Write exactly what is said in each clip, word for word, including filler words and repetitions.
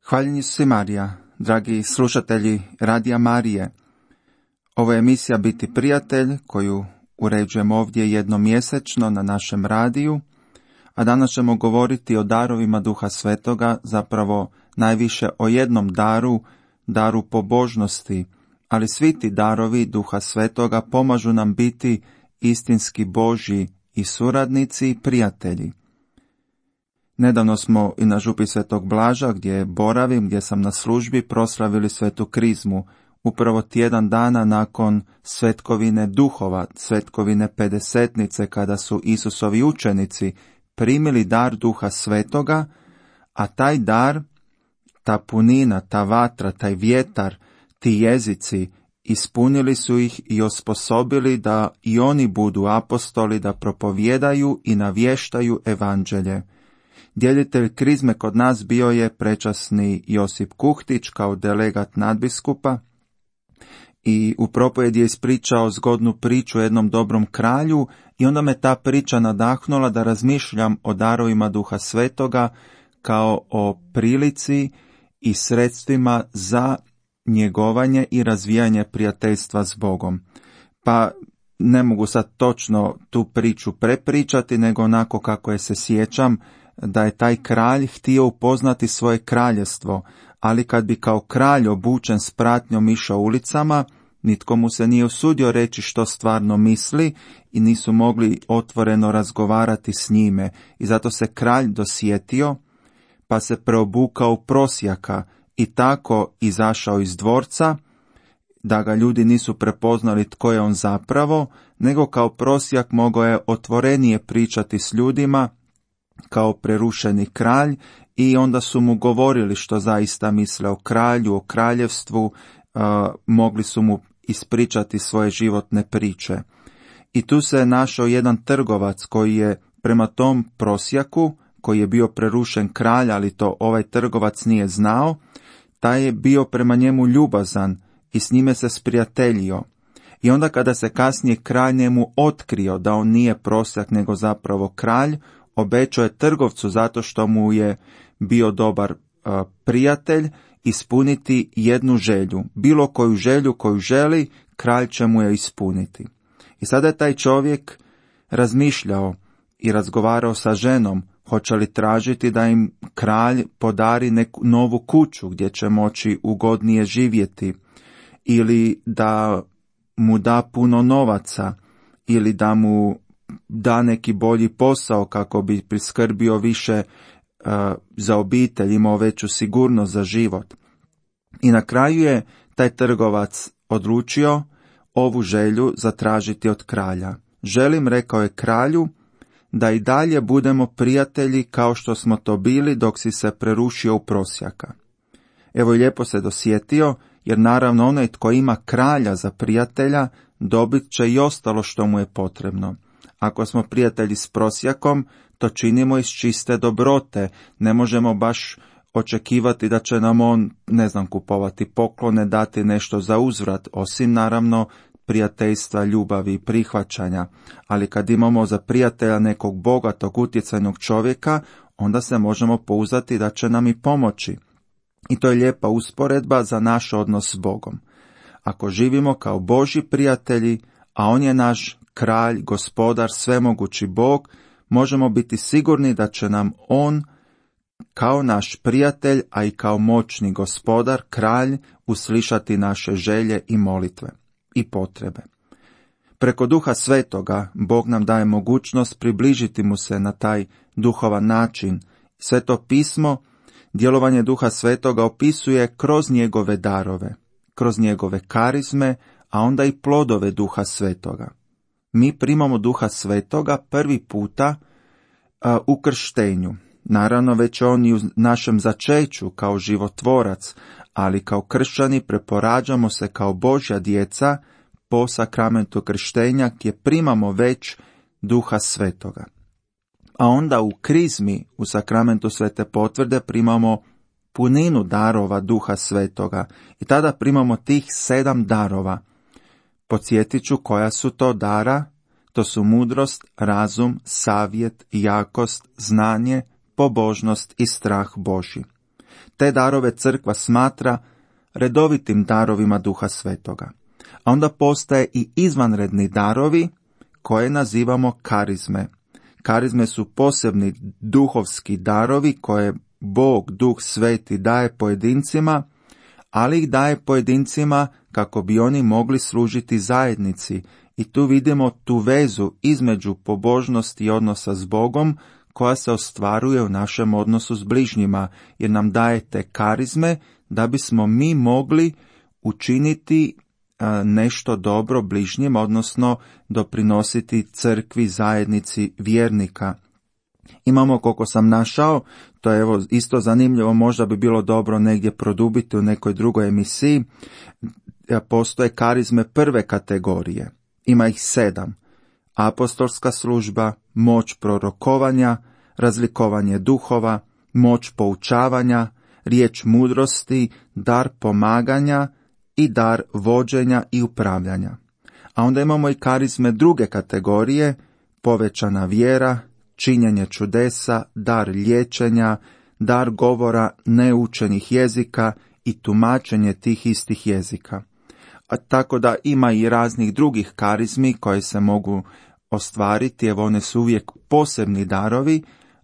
Hvaljen Isus Marija, dragi slušatelji Radija Marije. Ovo je emisija Biti prijatelj koju uređujemo ovdje jednom mjesečno na našem radiju, a danas ćemo govoriti o darovima Duha Svetoga, zapravo najviše o jednom daru, daru pobožnosti, ali svi ti darovi Duha Svetoga pomažu nam biti istinski Božji i suradnici i prijatelji. Nedavno smo i na župi Svetog Blaža, gdje boravim, gdje sam na službi, proslavili Svetu Krizmu, upravo tjedan dana nakon svetkovine duhova, svetkovine pedesetnice, kada su Isusovi učenici primili dar Duha Svetoga, a taj dar, ta punina, ta vatra, taj vjetar, ti jezici, ispunili su ih i osposobili da i oni budu apostoli, da propovijedaju i navještaju evanđelje. Djelitelj krizme kod nas bio je prečasni Josip Kuhtić kao delegat nadbiskupa i u propovjedi je ispričao zgodnu priču o jednom dobrom kralju i onda me ta priča nadahnula da razmišljam o darovima Duha Svetoga kao o prilici i sredstvima za njegovanje i razvijanje prijateljstva s Bogom. Pa ne mogu sad točno tu priču prepričati, nego onako kako je se sjećam, da je taj kralj htio upoznati svoje kraljevstvo, ali kad bi kao kralj obučen s pratnjom išao ulicama, nitko mu se nije usudio reći što stvarno misli i nisu mogli otvoreno razgovarati s njime. I zato se kralj dosjetio, pa se preobukao u prosjaka i tako izašao iz dvorca, da ga ljudi nisu prepoznali tko je on zapravo, nego kao prosjak mogao je otvorenije pričati s ljudima, kao prerušeni kralj, i onda su mu govorili što zaista misle o kralju, o kraljevstvu, uh, mogli su mu ispričati svoje životne priče. I tu se je našao jedan trgovac koji je prema tom prosjaku, koji je bio prerušen kralj, ali to ovaj trgovac nije znao, taj je bio prema njemu ljubazan i s njime se sprijateljio. I onda kada se kasnije kralj njemu otkrio da on nije prosjak nego zapravo kralj, obećao je trgovcu, zato što mu je bio dobar uh, prijatelj, ispuniti jednu želju. Bilo koju želju koju želi, kralj će mu je ispuniti. I sada je taj čovjek razmišljao i razgovarao sa ženom, hoće li tražiti da im kralj podari neku novu kuću gdje će moći ugodnije živjeti, ili da mu da puno novaca, ili da mu da neki bolji posao kako bi priskrbio više uh, za obitelj, imao veću sigurnost za život. I na kraju je taj trgovac odlučio ovu želju zatražiti od kralja. Želim, rekao je kralju, da i dalje budemo prijatelji kao što smo to bili dok si se prerušio u prosjaka. Evo, i lijepo se dosjetio, jer naravno onaj tko ima kralja za prijatelja dobit će i ostalo što mu je potrebno. Ako smo prijatelji s prosjakom, to činimo iz čiste dobrote. Ne možemo baš očekivati da će nam on, ne znam, kupovati poklone, dati nešto za uzvrat, osim naravno prijateljstva, ljubavi i prihvaćanja. Ali kad imamo za prijatelja nekog bogatog, utjecajnog čovjeka, onda se možemo pouzdati da će nam i pomoći. I to je lijepa usporedba za naš odnos s Bogom. Ako živimo kao Božji prijatelji, a on je naš kralj, gospodar, svemogući Bog, možemo biti sigurni da će nam on, kao naš prijatelj, a i kao moćni gospodar, kralj, uslišati naše želje i molitve i potrebe. Preko Duha Svetoga Bog nam daje mogućnost približiti mu se na taj duhovan način. Sveto pismo, djelovanje Duha Svetoga opisuje kroz njegove darove, kroz njegove karizme, a onda i plodove Duha Svetoga. Mi primamo Duha Svetoga prvi puta a, u krštenju. Naravno, već on i u našem začeću kao životvorac, ali kao kršćani preporađamo se kao Božja djeca po sakramentu krštenja, gdje primamo već Duha Svetoga. A onda u krizmi, u sakramentu Svete potvrde, primamo puninu darova Duha Svetoga i tada primamo tih sedam darova. Podsjetit ću koja su to dara. To su mudrost, razum, savjet, jakost, znanje, pobožnost i strah Božji. Te darove crkva smatra redovitim darovima Duha Svetoga. A onda postaje i izvanredni darovi koje nazivamo karizme. Karizme su posebni duhovski darovi koje Bog, Duh Sveti daje pojedincima, ali ih daje pojedincima kako bi oni mogli služiti zajednici. I tu vidimo tu vezu između pobožnosti i odnosa s Bogom koja se ostvaruje u našem odnosu s bližnjima, jer nam daje te karizme da bismo mi mogli učiniti nešto dobro bližnjima, odnosno doprinositi crkvi, zajednici vjernika. Imamo, koliko sam našao, to je evo isto zanimljivo, možda bi bilo dobro negdje produbiti u nekoj drugoj emisiji, postoje karizme prve kategorije. Ima ih sedam. Apostolska služba, moć prorokovanja, razlikovanje duhova, moć poučavanja, riječ mudrosti, dar pomaganja i dar vođenja i upravljanja. A onda imamo i karizme druge kategorije, povećana vjera, činjenje čudesa, dar liječenja, dar govora neučenih jezika i tumačenje tih istih jezika. A tako da ima i raznih drugih karizmi koje se mogu ostvariti, evo one su uvijek posebni darovi,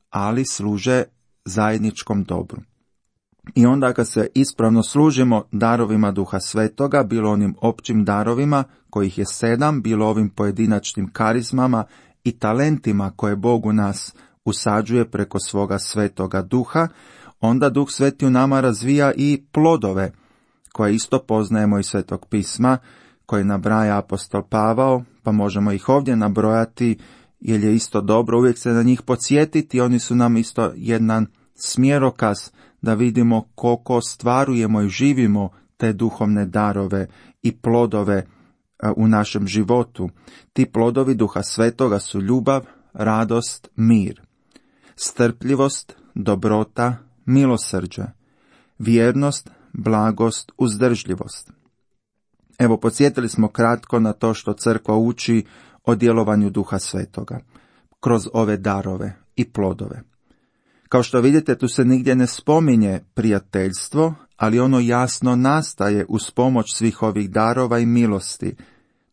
ali služe zajedničkom dobru. I onda kad se ispravno služimo darovima Duha Svetoga, bilo onim općim darovima, kojih je sedam, bilo ovim pojedinačnim karizmama i talentima koje Bog u nas usađuje preko svoga Svetoga Duha, onda Duh Sveti u nama razvija i plodove, koje isto poznajemo iz Svetog pisma, koje nabraja apostol Pavao, pa možemo ih ovdje nabrojati, jer je isto dobro uvijek se na njih podsjetiti, oni su nam isto jedan smjerokaz da vidimo koliko ostvarujemo i živimo te duhovne darove i plodove u našem životu. Ti plodovi Duha Svetoga su ljubav, radost, mir, strpljivost, dobrota, milosrđe, vjernost, blagost, uzdržljivost. Evo, podsjetili smo kratko na to što crkva uči o djelovanju Duha Svetoga kroz ove darove i plodove. Kao što vidite, tu se nigdje ne spominje prijateljstvo, ali ono jasno nastaje uz pomoć svih ovih darova i milosti.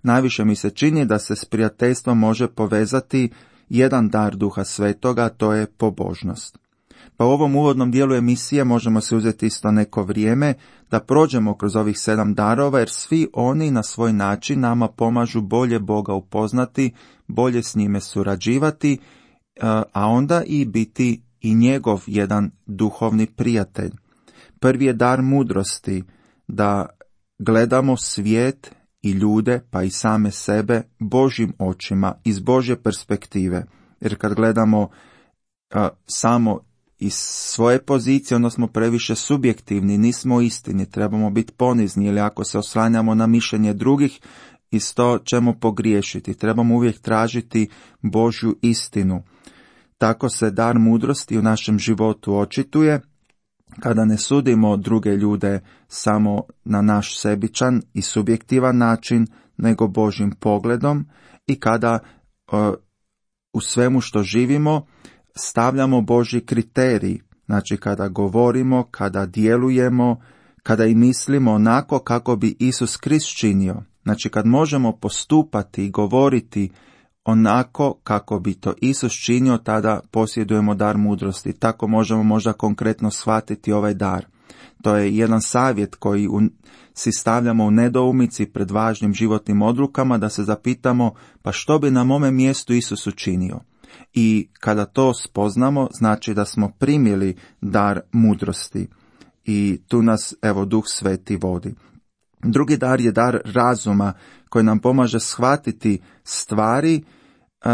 Najviše mi se čini da se s prijateljstvom može povezati jedan dar Duha Svetoga, a to je pobožnost. Pa u ovom uvodnom dijelu emisije možemo se uzeti isto neko vrijeme da prođemo kroz ovih sedam darova, jer svi oni na svoj način nama pomažu bolje Boga upoznati, bolje s njime surađivati, a onda i biti i njegov jedan duhovni prijatelj. Prvi je dar mudrosti, da gledamo svijet i ljude, pa i same sebe, Božjim očima, iz Božje perspektive. Jer kad gledamo a, samo iz svoje pozicije, onda smo previše subjektivni, nismo istini, trebamo biti ponizni, ili ako se oslanjamo na mišljenje drugih, isto ćemo pogriješiti. Trebamo uvijek tražiti Božju istinu. Tako se dar mudrosti u našem životu očituje kada ne sudimo druge ljude samo na naš sebičan i subjektivan način, nego Božjim pogledom, i kada uh, u svemu što živimo stavljamo Božji kriterij, znači kada govorimo, kada djelujemo, kada i mislimo onako kako bi Isus Krist činio. Znači kad možemo postupati i govoriti onako kako bi to Isus činio, tada posjedujemo dar mudrosti. Tako možemo možda konkretno shvatiti ovaj dar. To je jedan savjet koji u, si stavljamo u nedoumici pred važnim životnim odlukama, da se zapitamo pa što bi na mome mjestu Isus učinio. I kada to spoznamo, znači da smo primili dar mudrosti. I tu nas, evo, Duh Sveti vodi. Drugi dar je dar razuma, koji nam pomaže shvatiti stvari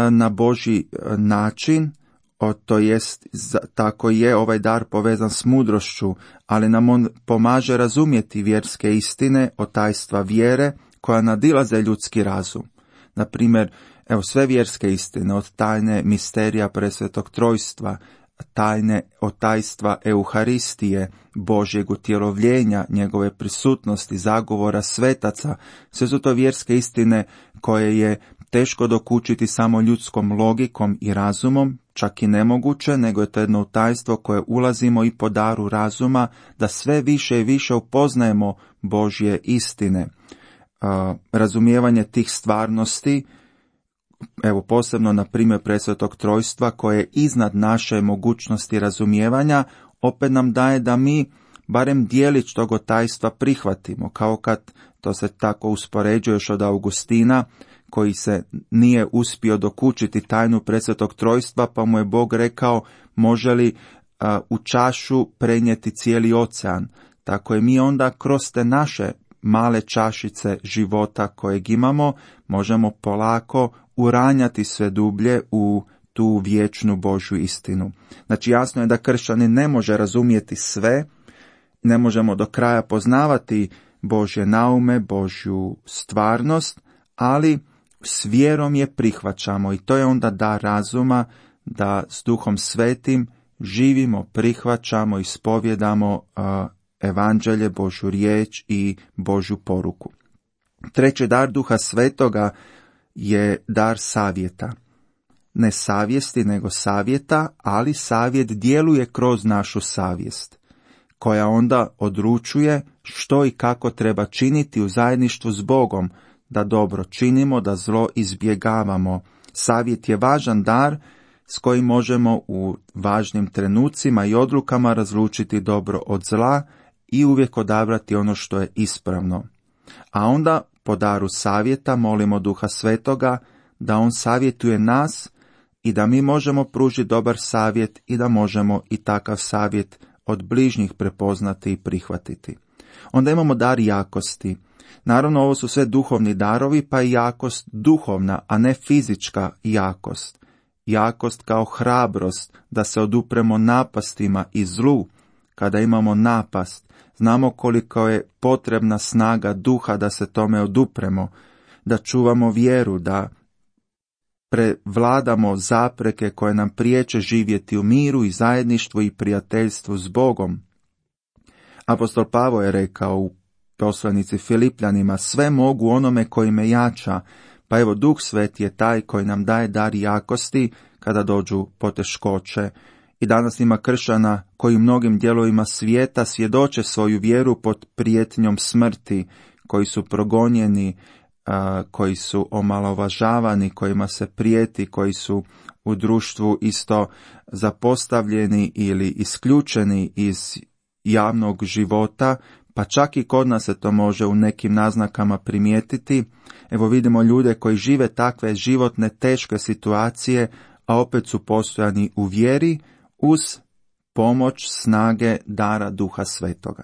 na Božji način, o, to jest tako je ovaj dar povezan s mudrošću, ali nam on pomaže razumjeti vjerske istine o tajstva vjere koja nadilaze ljudski razum. Na primjer, evo, sve vjerske istine od tajne misterija presvetog trojstva, tajne od tajstva Euharistije, Božjeg utjelovljenja, njegove prisutnosti, zagovora svetaca, sve su to vjerske istine koje je teško dokučiti samo ljudskom logikom i razumom, čak i nemoguće, nego je to jedno tajstvo koje ulazimo i po daru razuma, da sve više i više upoznajemo Božje istine. Razumijevanje tih stvarnosti, evo posebno na primjer presvetog trojstva, koje je iznad naše mogućnosti razumijevanja, opet nam daje da mi barem dijelić tog tajstva prihvatimo, kao kad to se tako uspoređuje još od Augustina, koji se nije uspio dokučiti tajnu presvetog trojstva, pa mu je Bog rekao može li a, u čašu prenijeti cijeli ocean. Tako je mi onda kroz te naše male čašice života kojeg imamo, možemo polako uranjati sve dublje u tu vječnu Božju istinu. Znači jasno je da kršćanin ne može razumjeti sve, ne možemo do kraja poznavati Božje naume, Božju stvarnost, ali s vjerom je prihvaćamo i to je onda dar razuma da s Duhom Svetim živimo, prihvaćamo i ispovjedamo uh, evanđelje, Božju riječ i Božju poruku. Treći dar Duha Svetoga je dar savjeta. Ne savjesti, nego savjeta, ali savjet djeluje kroz našu savjest, koja onda odlučuje što i kako treba činiti u zajedništvu s Bogom, da dobro činimo, da zlo izbjegavamo. Savjet je važan dar s kojim možemo u važnim trenucima i odlukama razlučiti dobro od zla i uvijek odabrati ono što je ispravno. A onda po daru savjeta molimo Duha Svetoga da on savjetuje nas i da mi možemo pružiti dobar savjet i da možemo i takav savjet od bližnjih prepoznati i prihvatiti. Onda imamo dar jakosti. Naravno, ovo su sve duhovni darovi, pa i jakost duhovna, a ne fizička jakost. Jakost kao hrabrost, da se odupremo napastima i zlu. Kada imamo napast, znamo koliko je potrebna snaga duha da se tome odupremo, da čuvamo vjeru, da prevladamo zapreke koje nam priječe živjeti u miru i zajedništvu i prijateljstvu s Bogom. Apostol Pavao je rekao u poslanici Filipljanima, sve mogu onome koji me jača, pa evo Duh Sveti je taj koji nam daje dar jakosti kada dođu poteškoće. I danas ima kršćana koji u mnogim dijelovima svijeta svjedoče svoju vjeru pod prijetnjom smrti, koji su progonjeni, a, koji su omalovažavani, kojima se prijeti, koji su u društvu isto zapostavljeni ili isključeni iz javnog života, pa čak i kod nas se to može u nekim naznakama primijetiti. Evo vidimo ljude koji žive takve životne teške situacije, a opet su postojani u vjeri uz pomoć snage dara Duha Svetoga.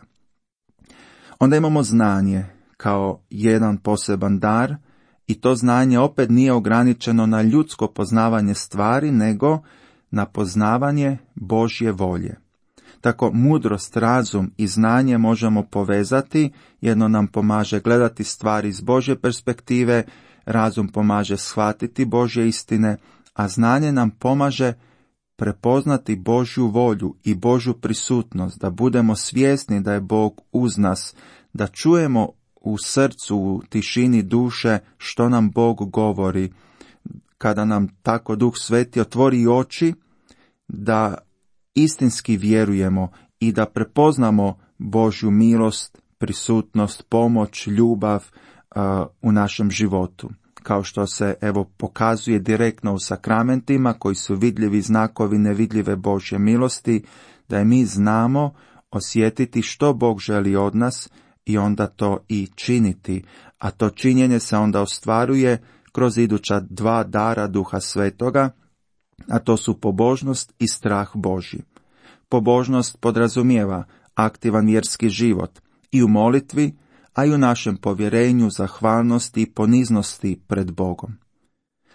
Onda imamo znanje kao jedan poseban dar i to znanje opet nije ograničeno na ljudsko poznavanje stvari, nego na poznavanje Božje volje. Tako mudrost, razum i znanje možemo povezati, jedno nam pomaže gledati stvari iz Božje perspektive, razum pomaže shvatiti Božje istine, a znanje nam pomaže prepoznati Božju volju i Božju prisutnost, da budemo svjesni da je Bog uz nas, da čujemo u srcu, u tišini duše što nam Bog govori, kada nam tako Duh Sveti otvori oči, da istinski vjerujemo i da prepoznamo Božju milost, prisutnost, pomoć, ljubav uh, u našem životu. Kao što se evo pokazuje direktno u sakramentima koji su vidljivi znakovi nevidljive Božje milosti, da je mi znamo osjetiti što Bog želi od nas i onda to i činiti. A to činjenje se onda ostvaruje kroz iduća dva dara Duha Svetoga, a to su pobožnost i strah Božji. Pobožnost podrazumijeva aktivan vjerski život i u molitvi, a i u našem povjerenju, zahvalnosti i poniznosti pred Bogom.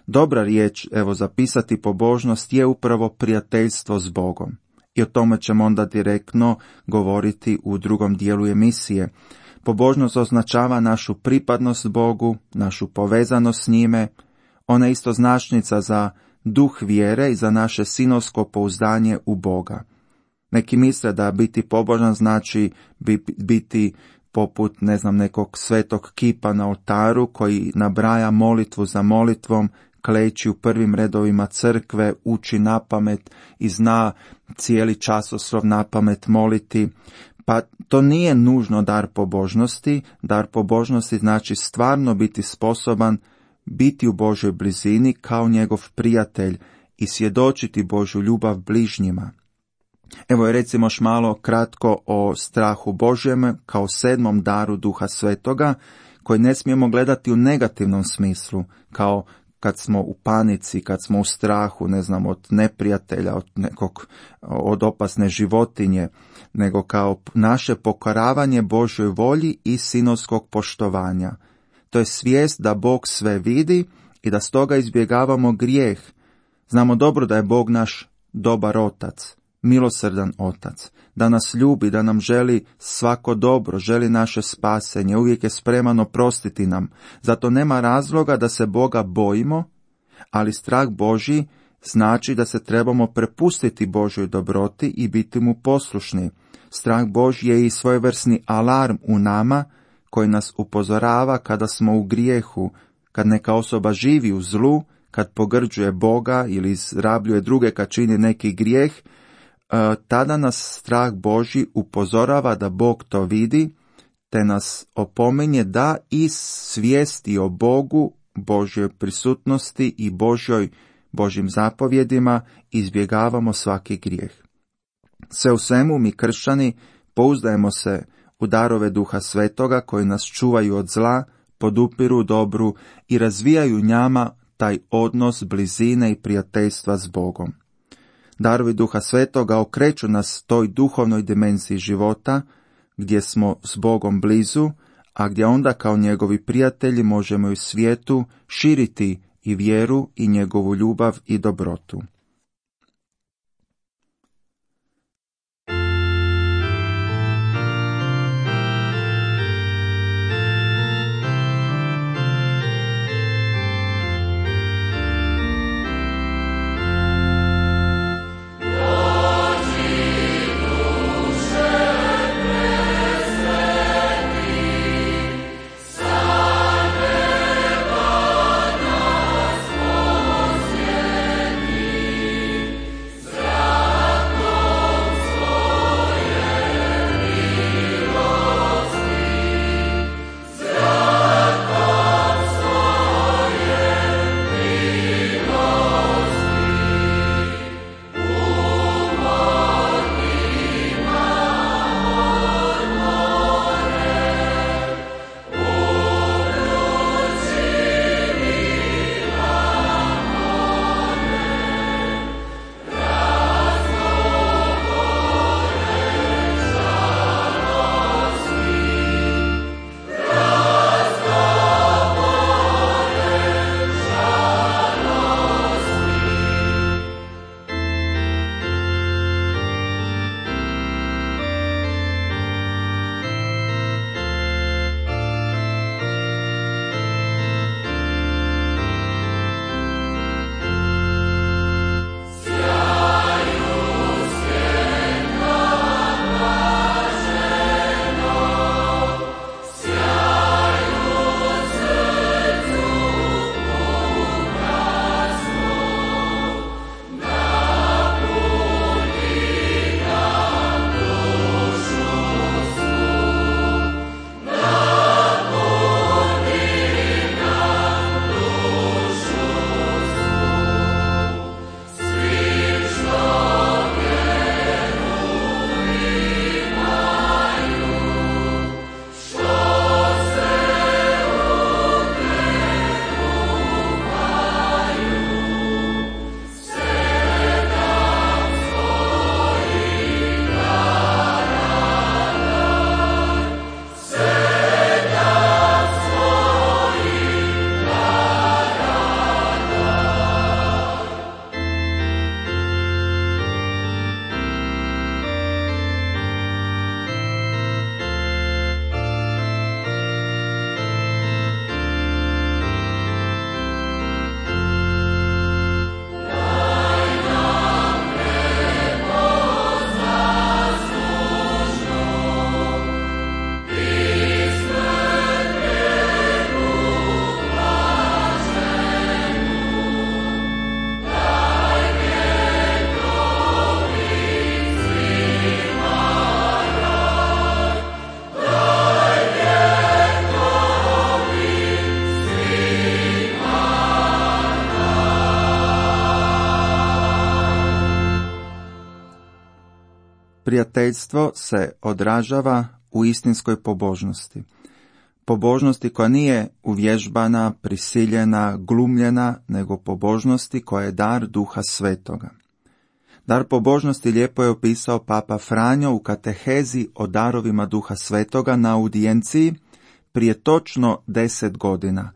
Dobra riječ, evo zapisati pobožnost, je upravo prijateljstvo s Bogom. I o tome ćemo onda direktno govoriti u drugom dijelu emisije. Pobožnost označava našu pripadnost Bogu, našu povezanost s njime, ona je isto značnica za duh vjere i za naše sinovsko pouzdanje u Boga. Neki misle da biti pobožan znači biti poput, ne znam, nekog svetog kipa na oltaru koji nabraja molitvu za molitvom, kleči u prvim redovima crkve, uči napamet i zna cijeli časoslov napamet moliti. Pa to nije nužno dar pobožnosti. Dar pobožnosti znači stvarno biti sposoban biti u Božoj blizini kao njegov prijatelj i svjedočiti Božju ljubav bližnjima. Evo je recimo još malo kratko o strahu Božjem kao sedmom daru Duha Svetoga, koji ne smijemo gledati u negativnom smislu, kao kad smo u panici, kad smo u strahu, ne znam, od neprijatelja, od nekog, od opasne životinje, nego kao naše pokoravanje Božjoj volji i sinovskog poštovanja. To je svijest da Bog sve vidi i da stoga izbjegavamo grijeh. Znamo dobro da je Bog naš dobar otac, milosrdan otac, da nas ljubi, da nam želi svako dobro, želi naše spasenje, uvijek je spreman oprostiti nam. Zato nema razloga da se Boga bojimo, ali strah Božji znači da se trebamo prepustiti Božjoj dobroti i biti mu poslušni. Strah Božji je i svojevrsni alarm u nama koji nas upozorava kada smo u grijehu, kad neka osoba živi u zlu, kad pogrđuje Boga ili izrabljuje druge kad čini neki grijeh. Tada nas strah Božji upozorava da Bog to vidi, te nas opominje da iz svijesti o Bogu, Božjoj prisutnosti i Božjoj, Božjim zapovjedima izbjegavamo svaki grijeh. Sve u svemu mi kršćani pouzdajemo se u darove Duha Svetoga koji nas čuvaju od zla, podupiru dobru i razvijaju njama taj odnos blizine i prijateljstva s Bogom. Darovi Duha Svetoga okreću nas toj duhovnoj dimenziji života, gdje smo s Bogom blizu, a gdje onda kao njegovi prijatelji možemo i u svijetu širiti i vjeru i njegovu ljubav i dobrotu. Prijateljstvo se odražava u istinskoj pobožnosti. Pobožnosti koja nije uvježbana, prisiljena, glumljena, nego pobožnosti koja je dar Duha Svetoga. Dar pobožnosti lijepo je opisao Papa Franjo u katehezi o darovima Duha Svetoga na audijenciji prije točno deset godina,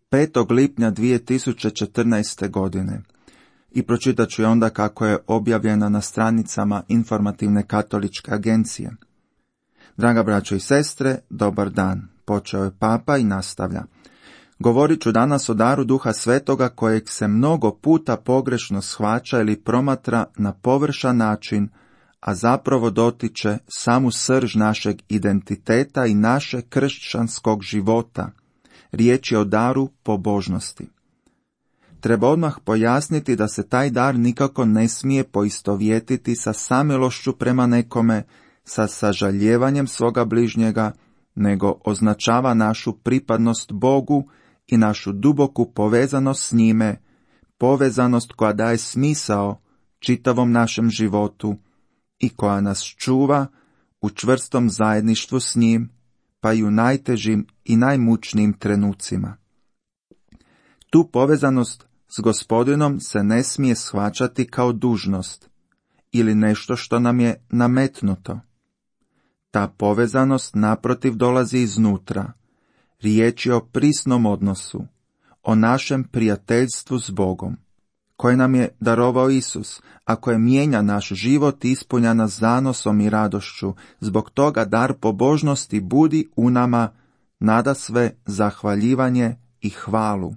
petog lipnja dvije tisuće četrnaeste. godine. I pročitat ću je onda kako je objavljena na stranicama Informativne katoličke agencije. Draga braćo i sestre, dobar dan. Počeo je Papa i nastavlja. Govorit ću danas o daru Duha Svetoga kojeg se mnogo puta pogrešno shvaća ili promatra na površan način, a zapravo dotiče samu srž našeg identiteta i naše kršćanskog života. Riječ je o daru pobožnosti. Treba odmah pojasniti da se taj dar nikako ne smije poistovjetiti sa samilošću prema nekome, sa sažaljevanjem svoga bližnjega, nego označava našu pripadnost Bogu i našu duboku povezanost s njime, povezanost koja daje smisao čitavom našem životu i koja nas čuva u čvrstom zajedništvu s njim, pa i u najtežim i najmučnijim trenucima. Tu povezanost s Gospodinom se ne smije shvaćati kao dužnost ili nešto što nam je nametnuto. Ta povezanost naprotiv dolazi iznutra. Riječ je o prisnom odnosu, o našem prijateljstvu s Bogom, koje nam je darovao Isus, a koje mijenja naš život i ispunja nas zanosom i radošću. Zbog toga dar pobožnosti budi u nama nadasve zahvaljivanje i hvalu.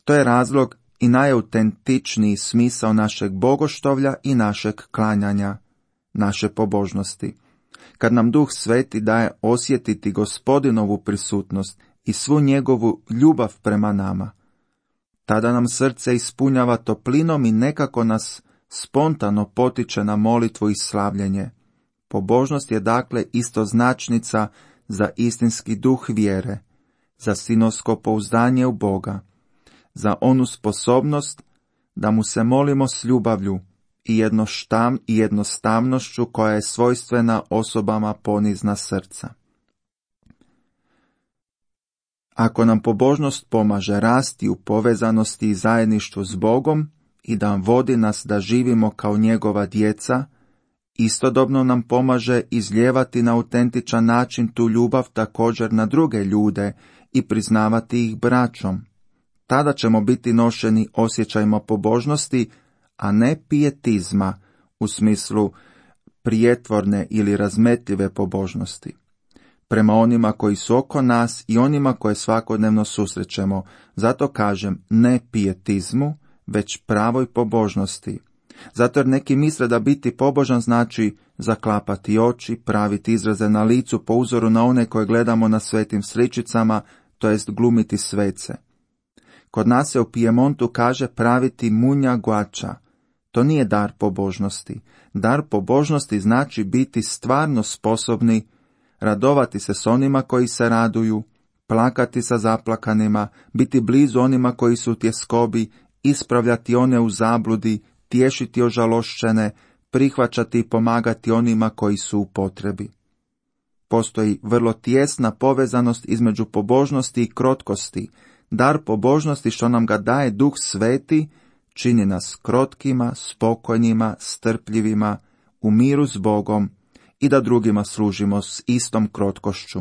To je razlog i najautentičniji smisao našeg bogoštovlja i našeg klanjanja, naše pobožnosti. Kad nam Duh Sveti daje osjetiti Gospodinovu prisutnost i svu njegovu ljubav prema nama, tada nam srce ispunjava toplinom i nekako nas spontano potiče na molitvu i slavljenje. Pobožnost je dakle istoznačnica za istinski duh vjere, za sinovsko pouzdanje u Boga, za onu sposobnost da mu se molimo s ljubavlju i jednoštam i jednostavnošću koja je svojstvena osobama ponizna srca. Ako nam pobožnost pomaže rasti u povezanosti i zajedništvu s Bogom i da vodi nas da živimo kao njegova djeca, istodobno nam pomaže izlijevati na autentičan način tu ljubav također na druge ljude i priznavati ih braćom. Tada ćemo biti nošeni osjećajima pobožnosti, a ne pijetizma u smislu prijetvorne ili razmetljive pobožnosti. Prema onima koji su oko nas i onima koje svakodnevno susrećemo, zato kažem ne pijetizmu, već pravoj pobožnosti. Zato jer neki misle da biti pobožan znači zaklapati oči, praviti izraze na licu po uzoru na one koje gledamo na svetim sličicama, to jest glumiti svece. Kod nas se u Pijemontu kaže praviti munja guača. To nije dar pobožnosti. Dar pobožnosti znači biti stvarno sposobni radovati se s onima koji se raduju, plakati sa zaplakanima, biti blizu onima koji su u tjeskobi, ispravljati one u zabludi, tješiti ožalošćene, prihvaćati i pomagati onima koji su u potrebi. Postoji vrlo tijesna povezanost između pobožnosti i krotkosti. Dar pobožnosti što nam ga daje Duh Sveti čini nas krotkima, spokojnima, strpljivima, u miru s Bogom i da drugima služimo s istom krotkošću.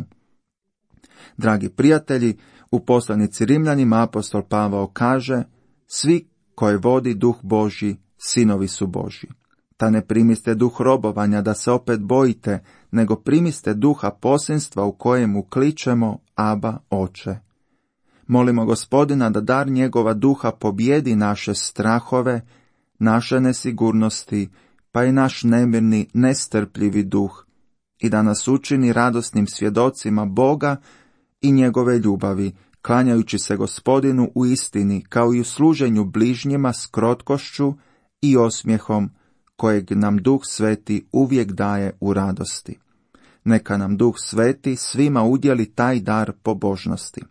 Dragi prijatelji, u poslanici Rimljanima apostol Pavao kaže: svi koje vodi Duh Božji, sinovi su Božji. Ta ne primiste duh robovanja da se opet bojite, nego primiste duha posinstva u kojemu kličemo Aba, Oče. Molimo Gospodina da dar njegova duha pobjedi naše strahove, naše nesigurnosti, pa i naš nemirni, nestrpljivi duh, i da nas učini radosnim svjedocima Boga i njegove ljubavi, klanjajući se Gospodinu u istini, kao i u služenju bližnjima s krotkošću i osmijehom, kojeg nam Duh Sveti uvijek daje u radosti. Neka nam Duh Sveti svima udjeli taj dar pobožnosti.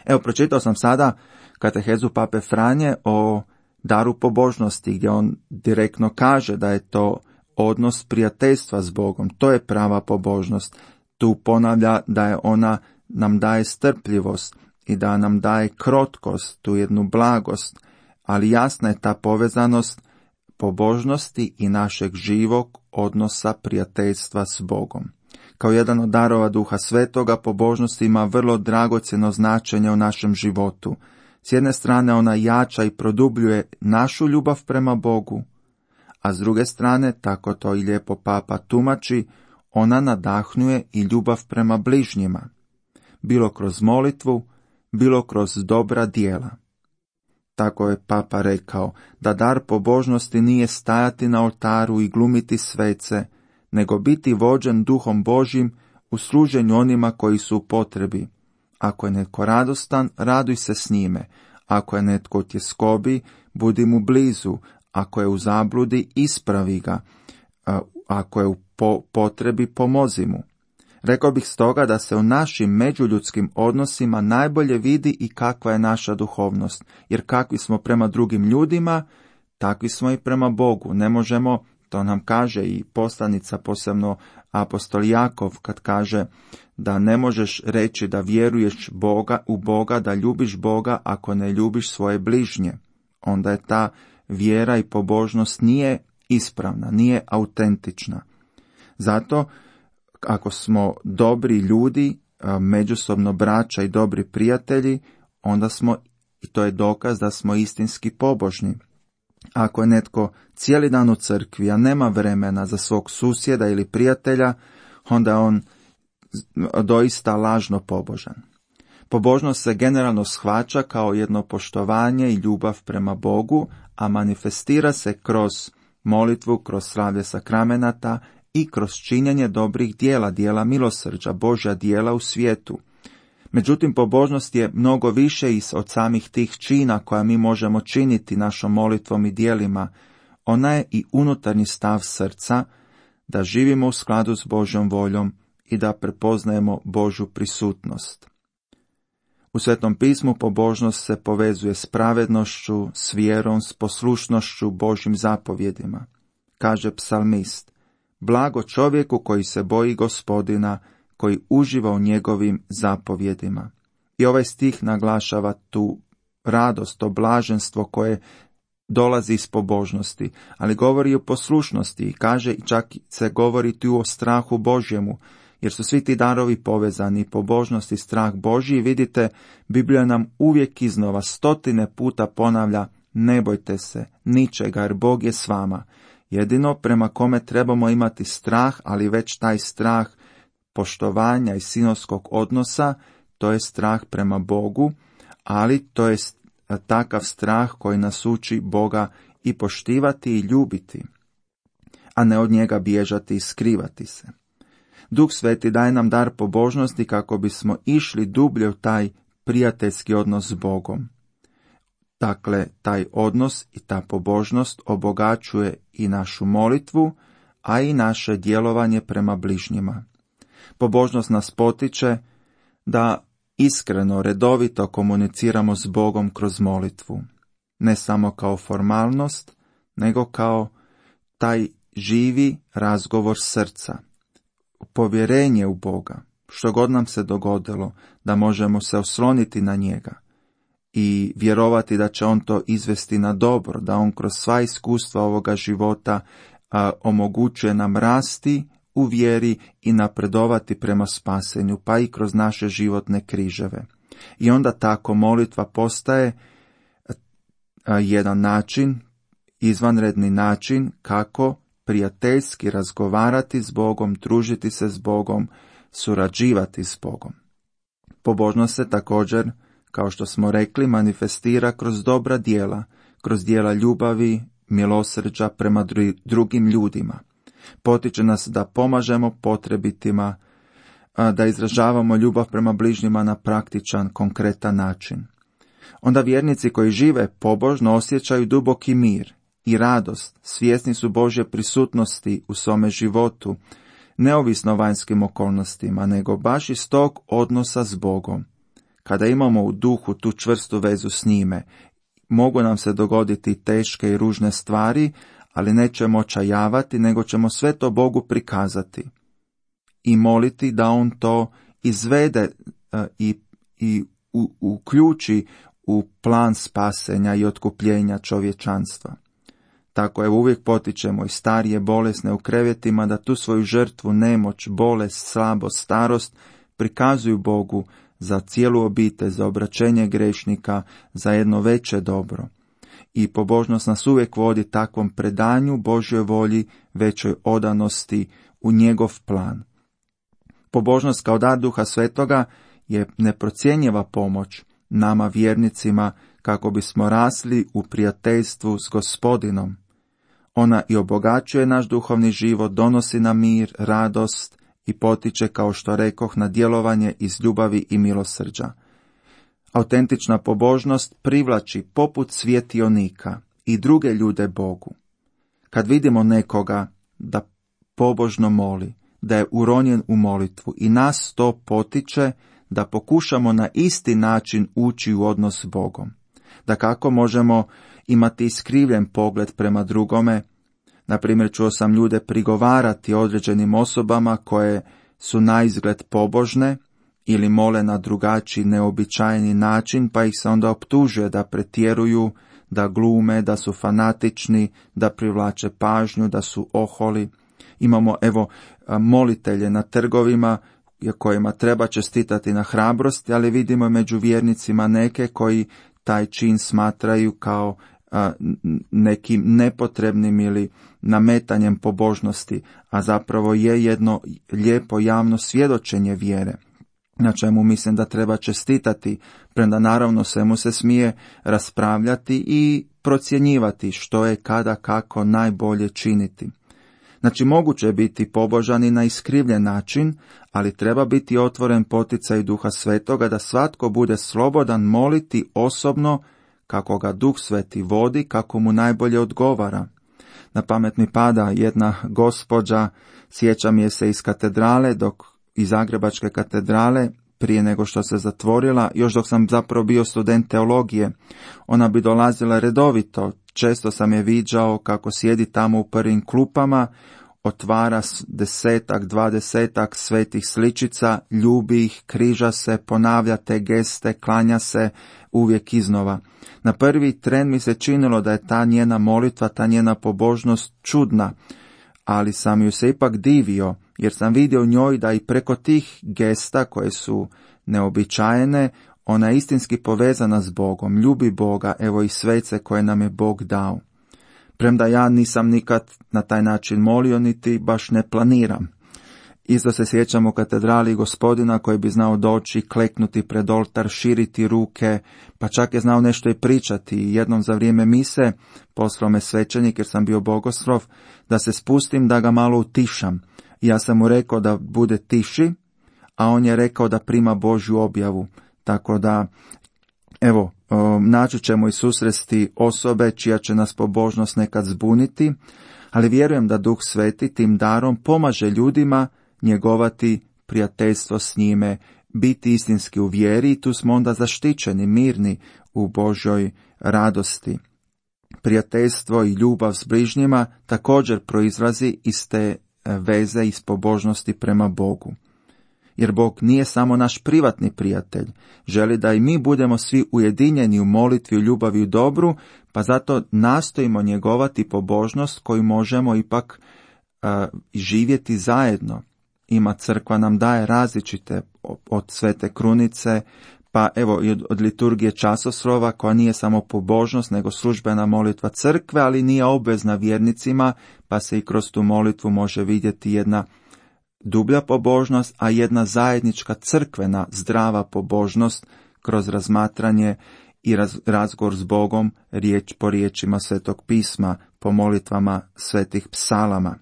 Evo, pročitao sam sada katehezu Pape Franje o daru pobožnosti, gdje on direktno kaže da je to odnos prijateljstva s Bogom. To je prava pobožnost. Tu ponavlja da je ona nam daje strpljivost i da nam daje krotkost, tu jednu blagost, ali jasna je ta povezanost pobožnosti i našeg živog odnosa prijateljstva s Bogom. Kao jedan od darova Duha Svetoga, pobožnost ima vrlo dragocjeno značenje u našem životu. S jedne strane ona jača i produbljuje našu ljubav prema Bogu, a s druge strane, tako to i lijepo Papa tumači, ona nadahnjuje i ljubav prema bližnjima, bilo kroz molitvu, bilo kroz dobra djela. Tako je Papa rekao da dar pobožnosti nije stajati na oltaru i glumiti svece, nego biti vođen Duhom Božjim u služenju onima koji su u potrebi. Ako je netko radostan, raduj se s njime. Ako je netko u tjeskobi, budi mu blizu. Ako je u zabludi, ispravi ga. Ako je u po- potrebi, pomozi mu. Rekao bih stoga da se u našim međuljudskim odnosima najbolje vidi i kakva je naša duhovnost, jer kakvi smo prema drugim ljudima, takvi smo i prema Bogu. Ne možemo, to nam kaže i poslanica, posebno apostol Jakov, kad kaže da ne možeš reći da vjeruješ Boga, u Boga, da ljubiš Boga ako ne ljubiš svoje bližnje. Onda je ta vjera i pobožnost nije ispravna, nije autentična. Zato, ako smo dobri ljudi, međusobno braća i dobri prijatelji, onda smo, i to je dokaz da smo istinski pobožni. Ako je netko cijeli dan u crkvi, a nema vremena za svog susjeda ili prijatelja, onda je on doista lažno pobožan. Pobožnost se generalno shvaća kao jedno poštovanje i ljubav prema Bogu, a manifestira se kroz molitvu, kroz slavlje sakramenata i kroz činjenje dobrih dijela, dijela milosrđa, Božja dijela u svijetu. Međutim, pobožnost je mnogo više od samih tih čina koja mi možemo činiti našom molitvom i dijelima. Ona je i unutarnji stav srca, da živimo u skladu s Božjom voljom i da prepoznajemo Božju prisutnost. U Svetom pismu pobožnost se povezuje s pravednošću, s vjerom, s poslušnošću Božjim zapovjedima. Kaže psalmist: blago čovjeku koji se boji Gospodina, koji uživa u njegovim zapovjedima. I ovaj stih naglašava tu radost, to blaženstvo koje dolazi iz pobožnosti, ali govori i o poslušnosti i kaže, i čak se govori tu o strahu Božjemu, jer su svi ti darovi povezani, pobožnost i strah Božji. Vidite, Biblija nam uvijek iznova stotine puta ponavlja: ne bojte se ničega, jer Bog je s vama. Jedino prema kome trebamo imati strah, ali već taj strah poštovanja i sinovskog odnosa, to je strah prema Bogu, ali to je takav strah koji nas uči Boga i poštivati i ljubiti, a ne od njega bježati i skrivati se. Duh Sveti daje nam dar pobožnosti kako bismo išli dublje u taj prijateljski odnos s Bogom. Dakle, taj odnos i ta pobožnost obogaćuje i našu molitvu, a i naše djelovanje prema bližnjima. Pobožnost nas potiče da iskreno, redovito komuniciramo s Bogom kroz molitvu. Ne samo kao formalnost, nego kao taj živi razgovor srca. Povjerenje u Boga, što god nam se dogodilo, da možemo se osloniti na njega i vjerovati da će on to izvesti na dobro, da on kroz sva iskustva ovoga života a, omogućuje nam rasti u vjeri i napredovati prema spasenju, pa i kroz naše životne križeve. I onda tako molitva postaje a, jedan način, izvanredni način kako prijateljski razgovarati s Bogom, družiti se s Bogom, surađivati s Bogom. Pobožnost se također, kao što smo rekli, manifestira kroz dobra djela, kroz djela ljubavi, milosrđa prema drugim ljudima. Potiče nas da pomažemo potrebitima, da izražavamo ljubav prema bližnjima na praktičan, konkretan način. Onda vjernici koji žive pobožno osjećaju duboki mir i radost, svjesni su Božje prisutnosti u svome životu, neovisno o vanjskim okolnostima, nego baš iz tog odnosa s Bogom. Kada imamo u duhu tu čvrstu vezu s njime, mogu nam se dogoditi teške i ružne stvari, ali nećemo očajavati, nego ćemo sve to Bogu prikazati i moliti da on to izvede uh, i, i u, uključi u plan spasenja i otkupljenja čovječanstva. Tako evo uvijek potičemo i starije bolesne u krevetima da tu svoju žrtvu, nemoć, bolest, slabost, starost prikazuju Bogu za cijelu obitelj, za obraćenje grešnika, za jedno veće dobro. I pobožnost nas uvijek vodi takvom predanju Božjoj volji, većoj odanosti u njegov plan. Pobožnost kao dar Duha Svetoga je neprocjenjiva pomoć nama vjernicima kako bismo rasli u prijateljstvu s Gospodinom. Ona i obogaćuje naš duhovni život, donosi nam mir, radost i potiče, kao što rekoh, na djelovanje iz ljubavi i milosrđa. Autentična pobožnost privlači poput svjetionika i druge ljude Bogu. Kad vidimo nekoga da pobožno moli, da je uronjen u molitvu i nas to potiče da pokušamo na isti način ući u odnos s Bogom. Da kako možemo imati iskrivljen pogled prema drugome. Na primjer, čuo sam ljude prigovarati određenim osobama koje su naizgled pobožne ili mole na drugačiji neobičajeni način, pa ih se onda optužuje da pretjeruju, da glume, da su fanatični, da privlače pažnju, da su oholi. Imamo evo molitelje na trgovima kojima treba čestitati na hrabrosti, ali vidimo među vjernicima neke koji taj čin smatraju kao a, nekim nepotrebnim ili nametanjem pobožnosti, a zapravo je jedno lijepo javno svjedočenje vjere, na čemu mislim da treba čestitati, premda naravno svemu se smije raspravljati i procjenjivati što je kada kako najbolje činiti. Znači, moguće je biti pobožan i na iskrivljen način, ali treba biti otvoren poticaj Duha Svetoga da svatko bude slobodan moliti osobno kako ga Duh Sveti vodi, kako mu najbolje odgovara. Na pamet mi pada jedna gospođa, sjećam je se iz katedrale, dok iz Zagrebačke katedrale, prije nego što se zatvorila, još dok sam zapravo bio student teologije. Ona bi dolazila redovito, često sam je viđao kako sjedi tamo u prvim klupama, otvara desetak, dvadesetak svetih sličica, ljubi ih, križa se, ponavlja te geste, klanja se uvijek iznova. Na prvi tren mi se činilo da je ta njena molitva, ta njena pobožnost čudna, ali sam ju se ipak divio, jer sam vidio u njoj da i preko tih gesta koje su neobičajene, ona je istinski povezana s Bogom, ljubi Boga, evo i svece koje nam je Bog dao. Premda ja nisam nikad na taj način molio, niti baš ne planiram. Isto se sjećam u katedrali Gospodina koji bi znao doći, kleknuti pred oltar, širiti ruke, pa čak je znao nešto i pričati. Jednom za vrijeme mise poslao me svećenik, jer sam bio bogoslov, da se spustim da ga malo utišam. I ja sam mu rekao da bude tiši, a on je rekao da prima Božju objavu. Tako da, evo, naći ćemo i susresti osobe čija će nas pobožnost nekad zbuniti, ali vjerujem da Duh Sveti tim darom pomaže ljudima njegovati prijateljstvo s njime, biti istinski u vjeri, i tu smo onda zaštićeni, mirni u Božjoj radosti. Prijateljstvo i ljubav s bližnjima također proizlazi iz te veze, iz pobožnosti prema Bogu. Jer Bog nije samo naš privatni prijatelj, želi da i mi budemo svi ujedinjeni u molitvi, u ljubavi, u dobru, pa zato nastojimo njegovati pobožnost koju možemo ipak uh, živjeti zajedno. Ima crkva nam daje različite, od svete krunice, pa evo i od, od liturgije časoslova, koja nije samo pobožnost, nego službena molitva crkve, ali nije obvezna vjernicima, pa se i kroz tu molitvu može vidjeti jedna dublja pobožnost, a jedna zajednička crkvena zdrava pobožnost kroz razmatranje i raz, razgovor s Bogom, riječ po riječima Svetog pisma, po molitvama svetih psalama.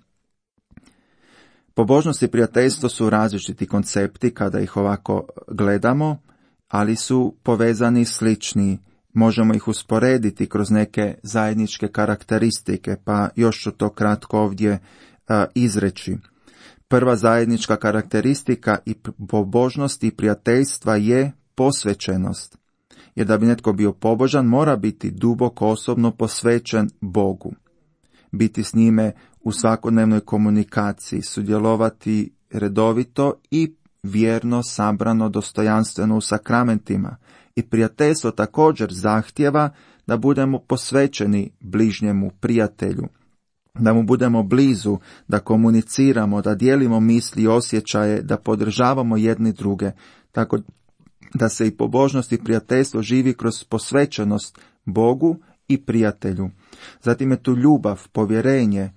Pobožnost i prijateljstvo su različiti koncepti kada ih ovako gledamo, ali su povezani, slični. Možemo ih usporediti kroz neke zajedničke karakteristike, pa još ću to kratko ovdje a, izreći. Prva zajednička karakteristika i pobožnosti i prijateljstva je posvećenost. Jer da bi netko bio pobožan, mora biti duboko osobno posvećen Bogu. biti s njime u svakodnevnoj komunikaciji, sudjelovati redovito i vjerno, sabrano, dostojanstveno u sakramentima. I prijateljstvo također zahtjeva da budemo posvećeni bližnjemu prijatelju, da mu budemo blizu, da komuniciramo, da dijelimo misli i osjećaje, da podržavamo jedni druge, tako da se i pobožnost i prijateljstvo živi kroz posvećenost Bogu i prijatelju. Zatim je tu ljubav, povjerenje.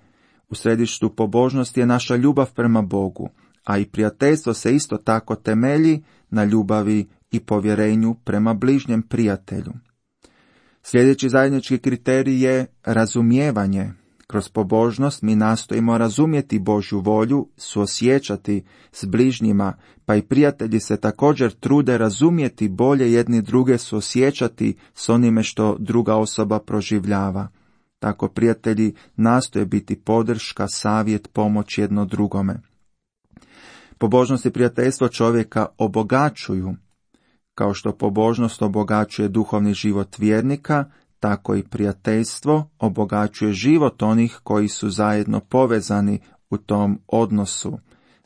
U središtu pobožnosti je naša ljubav prema Bogu, a i prijateljstvo se isto tako temelji na ljubavi i povjerenju prema bližnjem prijatelju. Sljedeći zajednički kriterij je razumijevanje. Kroz pobožnost mi nastojimo razumjeti Božju volju, suosjećati s bližnjima, pa i prijatelji se također trude razumjeti bolje jedni druge, suosjećati s onime što druga osoba proživljava. Tako prijatelji nastoje biti podrška, savjet, pomoć jedno drugome. Pobožnost i prijateljstvo čovjeka obogaćuju. Kao što pobožnost obogaćuje duhovni život vjernika, tako i prijateljstvo obogaćuje život onih koji su zajedno povezani u tom odnosu,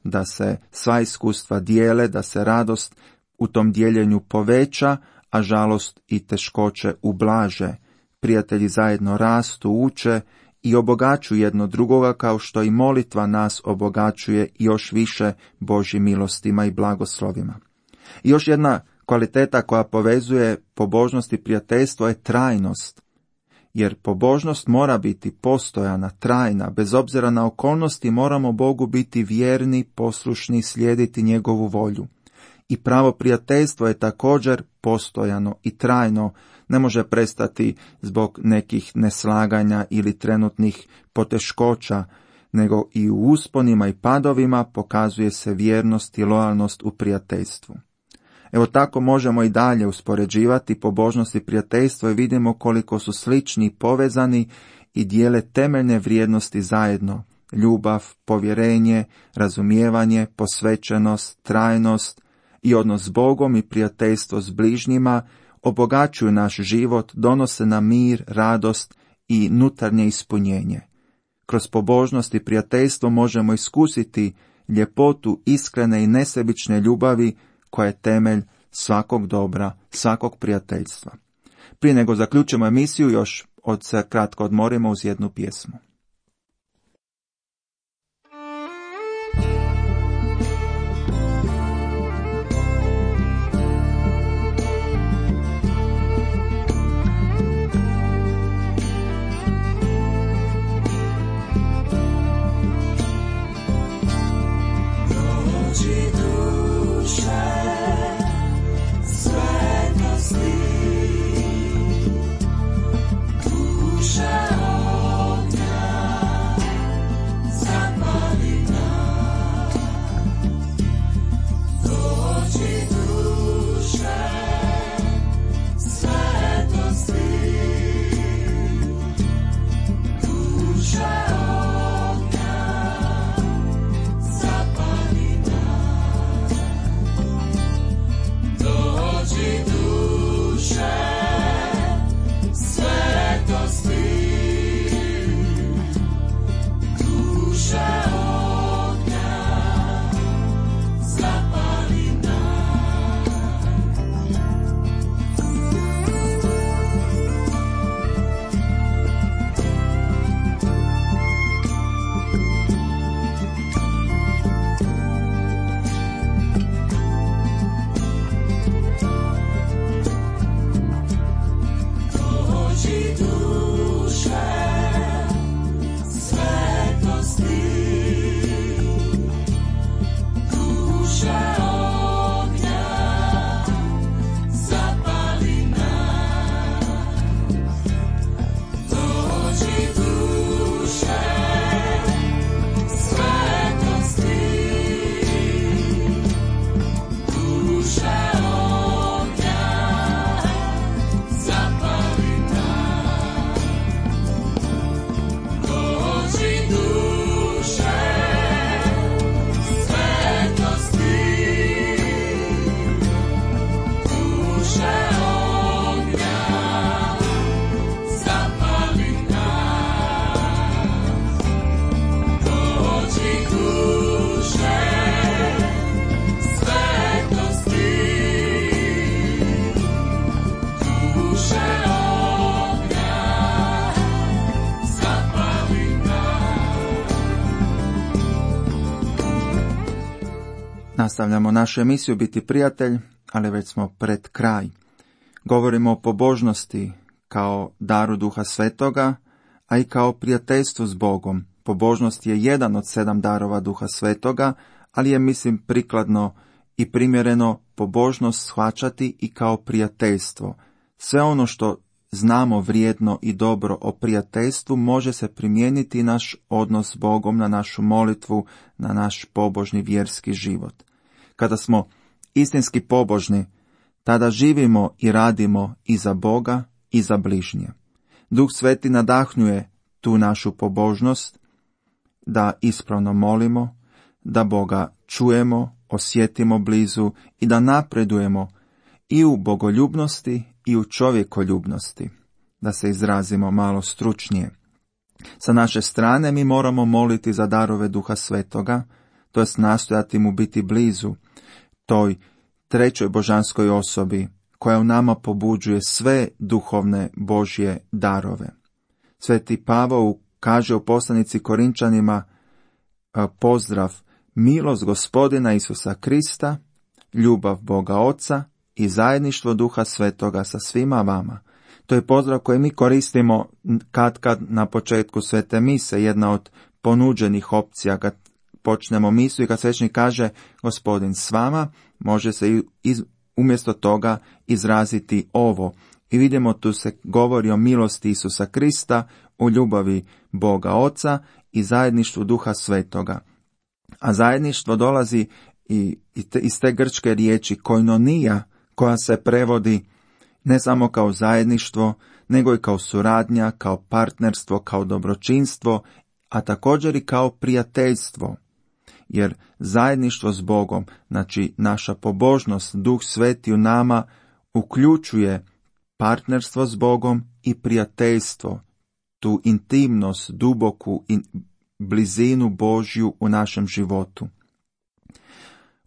da se sva iskustva dijele, da se radost u tom dijeljenju poveća, a žalost i teškoće ublaže. Prijatelji zajedno rastu, uče i obogaćuju jedno drugoga, kao što i molitva nas obogaćuje još više Božjim milostima i blagoslovima. I još jedna kvaliteta koja povezuje pobožnost i prijateljstvo je trajnost, jer pobožnost mora biti postojana, trajna, bez obzira na okolnosti moramo Bogu biti vjerni, poslušni, slijediti njegovu volju. I pravo prijateljstvo je također postojano i trajno, ne može prestati zbog nekih neslaganja ili trenutnih poteškoća, nego i u usponima i padovima pokazuje se vjernost i lojalnost u prijateljstvu. Evo tako možemo i dalje uspoređivati pobožnost i prijateljstvo i vidimo koliko su slični i povezani i dijele temeljne vrijednosti zajedno. Ljubav, povjerenje, razumijevanje, posvećenost, trajnost i odnos s Bogom i prijateljstvo s bližnjima obogaćuju naš život, donose nam mir, radost i nutarnje ispunjenje. Kroz pobožnost i prijateljstvo možemo iskusiti ljepotu iskrene i nesebične ljubavi koja je temelj svakog dobra, svakog prijateljstva. Prije nego zaključimo emisiju, još od se kratko odmorimo uz jednu pjesmu. Duša ognja Nastavljamo našu emisiju Biti prijatelj, ali već smo pred kraj. Govorimo o pobožnosti kao daru Duha Svetoga, a i kao prijateljstvu s Bogom. Pobožnost je jedan od sedam darova Duha Svetoga, ali je, mislim, prikladno i primjereno pobožnost shvaćati i kao prijateljstvo. Sve ono što znamo vrijedno i dobro o prijateljstvu može se primijeniti naš odnos s Bogom, na našu molitvu, na naš pobožni vjerski život. Kada smo istinski pobožni, tada živimo i radimo i za Boga i za bližnje. Duh Sveti nadahnjuje tu našu pobožnost da ispravno molimo, da Boga čujemo, osjetimo blizu i da napredujemo i u bogoljubnosti i u čovjekoljubnosti, da se izrazimo malo stručnije. Sa naše strane mi moramo moliti za darove Duha Svetoga, to jest nastojati mu biti blizu, toj trećoj božanskoj osobi koja u nama pobuđuje sve duhovne Božje darove. Sveti Pavao kaže u poslanici Korinčanima pozdrav: milost Gospodina Isusa Krista, ljubav Boga Oca i zajedništvo Duha Svetoga sa svima vama. To je pozdrav koji mi koristimo katkad na početku svete mise, jedna od ponuđenih opcija kad počnemo misu i kad svećenik kaže Gospodin s vama, može se iz, umjesto toga izraziti ovo. I vidimo, tu se govori o milosti Isusa Krista, o ljubavi Boga Oca i zajedništvu Duha Svetoga. A zajedništvo dolazi i, i te, iz te grčke riječi koinonija, koja se prevodi ne samo kao zajedništvo, nego i kao suradnja, kao partnerstvo, kao dobročinstvo, a također i kao prijateljstvo. Jer zajedništvo s Bogom, znači naša pobožnost, Duh Sveti u nama, uključuje partnerstvo s Bogom i prijateljstvo, tu intimnost, duboku in, blizinu Božju u našem životu,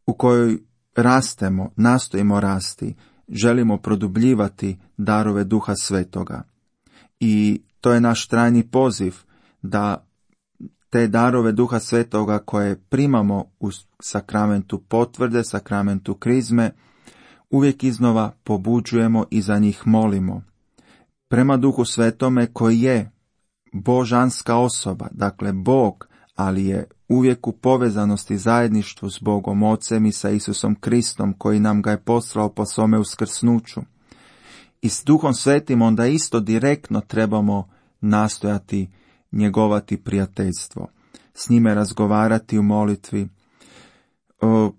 u kojoj rastemo, nastojimo rasti, želimo produbljivati darove Duha Svetoga. I to je naš trajni poziv da te darove Duha Svetoga koje primamo u sakramentu potvrde, sakramentu krizme, uvijek iznova pobuđujemo i za njih molimo. Prema Duhu Svetome koji je božanska osoba, dakle Bog, ali je uvijek u povezanosti zajedništvu s Bogom Ocem i sa Isusom Kristom koji nam ga je poslao po svome uskrsnuću. I s Duhom Svetim onda isto direktno trebamo nastojati njegovati prijateljstvo, s njime razgovarati u molitvi, o,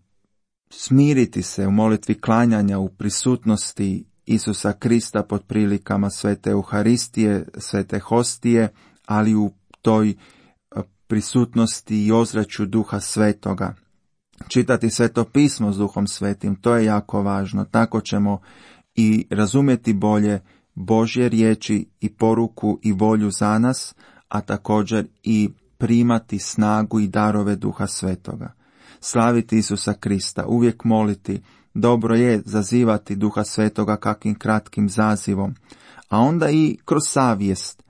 smiriti se u molitvi klanjanja u prisutnosti Isusa Krista pod prilikama svete Euharistije, svete hostije, ali u toj prisutnosti i ozračju Duha Svetoga. Čitati Sveto pismo s Duhom Svetim, to je jako važno. Tako ćemo i razumjeti bolje Božje riječi i poruku i volju za nas, a također i primati snagu i darove Duha Svetoga. Slaviti Isusa Krista, uvijek moliti. Dobro je zazivati Duha Svetoga kakvim kratkim zazivom, a onda i kroz savjest,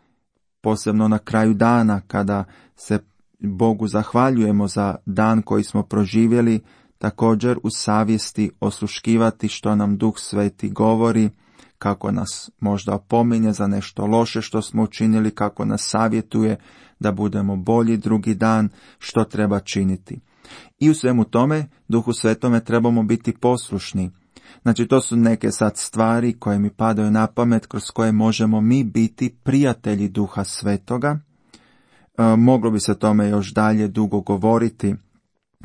posebno na kraju dana kada se Bogu zahvaljujemo za dan koji smo proživjeli, također u savjesti osluškivati što nam Duh Sveti govori, kako nas možda opominje za nešto loše što smo učinili, kako nas savjetuje da budemo bolji drugi dan, što treba činiti. I u svemu tome, Duhu Svetome trebamo biti poslušni. Znači, to su neke sad stvari koje mi padaju na pamet, kroz koje možemo mi biti prijatelji Duha Svetoga. E, moglo bi se tome još dalje dugo govoriti,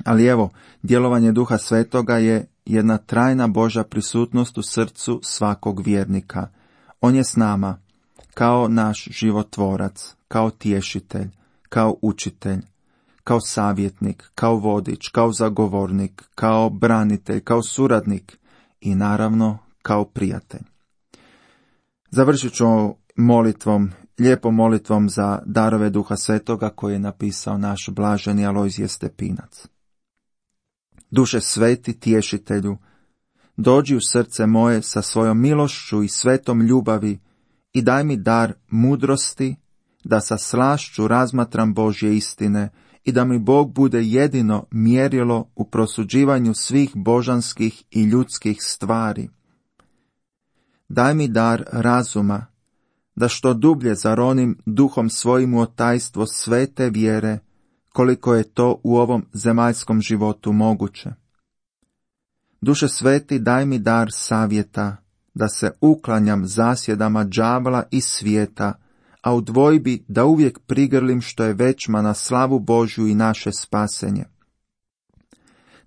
ali evo, djelovanje Duha Svetoga je jedna trajna Božja prisutnost u srcu svakog vjernika. On je s nama, kao naš životvorac, kao tješitelj, kao učitelj, kao savjetnik, kao vodič, kao zagovornik, kao branitelj, kao suradnik i naravno kao prijatelj. Završit ću molitvom, lijepom molitvom za darove Duha Svetoga koje je napisao naš blaženi Alojzije Stepinac. Duše sveti tješitelju, dođi u srce moje sa svojom milošću i svetom ljubavi i daj mi dar mudrosti da sa slašću razmatram Božje istine i da mi Bog bude jedino mjerilo u prosuđivanju svih božanskih i ljudskih stvari. Daj mi dar razuma, da što dublje zaronim duhom svojim u tajstvo svete vjere, koliko je to u ovom zemaljskom životu moguće. Duše sveti, daj mi dar savjeta, da se uklanjam zasjedama đavla i svijeta, a u dvojbi da uvijek prigrlim što je većma na slavu Božju i naše spasenje.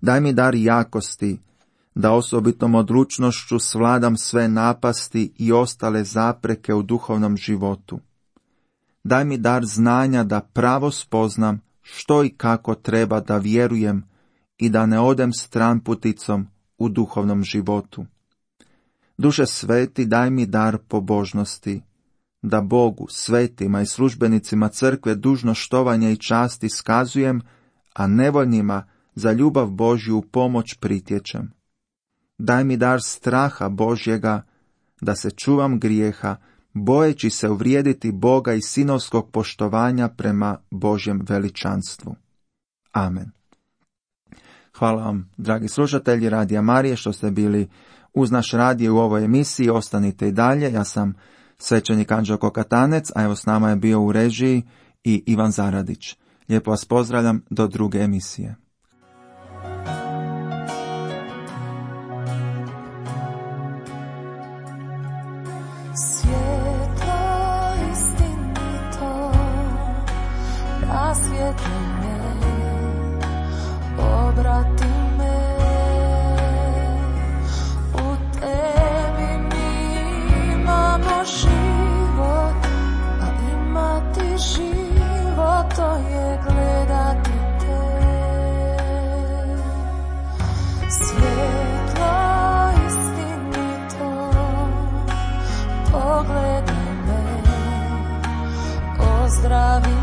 Daj mi dar jakosti, da osobitom odlučnošću svladam sve napasti i ostale zapreke u duhovnom životu. Daj mi dar znanja da pravo spoznam što i kako treba da vjerujem i da ne odem stranputicom u duhovnom životu. Duše sveti, daj mi dar pobožnosti, da Bogu, svetima i službenicima crkve dužno štovanja i čast iskazujem, a nevoljnima za ljubav Božju u pomoć pritječem. Daj mi dar straha Božjega, da se čuvam grijeha, bojeći se uvrijediti Boga i sinovskog poštovanja prema Božjem veličanstvu. Amen. Hvala vam, dragi slušatelji Radija Marije, što ste bili uz naš radio u ovoj emisiji. Ostanite i dalje. Ja sam svećenik Anđelko Katanec, a evo s nama je bio u režiji i Ivan Zaradić. Lijepo vas pozdravljam do druge emisije. Obrati me, u tebi mi imamo život, a imati život to je gledati te. Svjetlo istinito, pogledaj me, ozdravi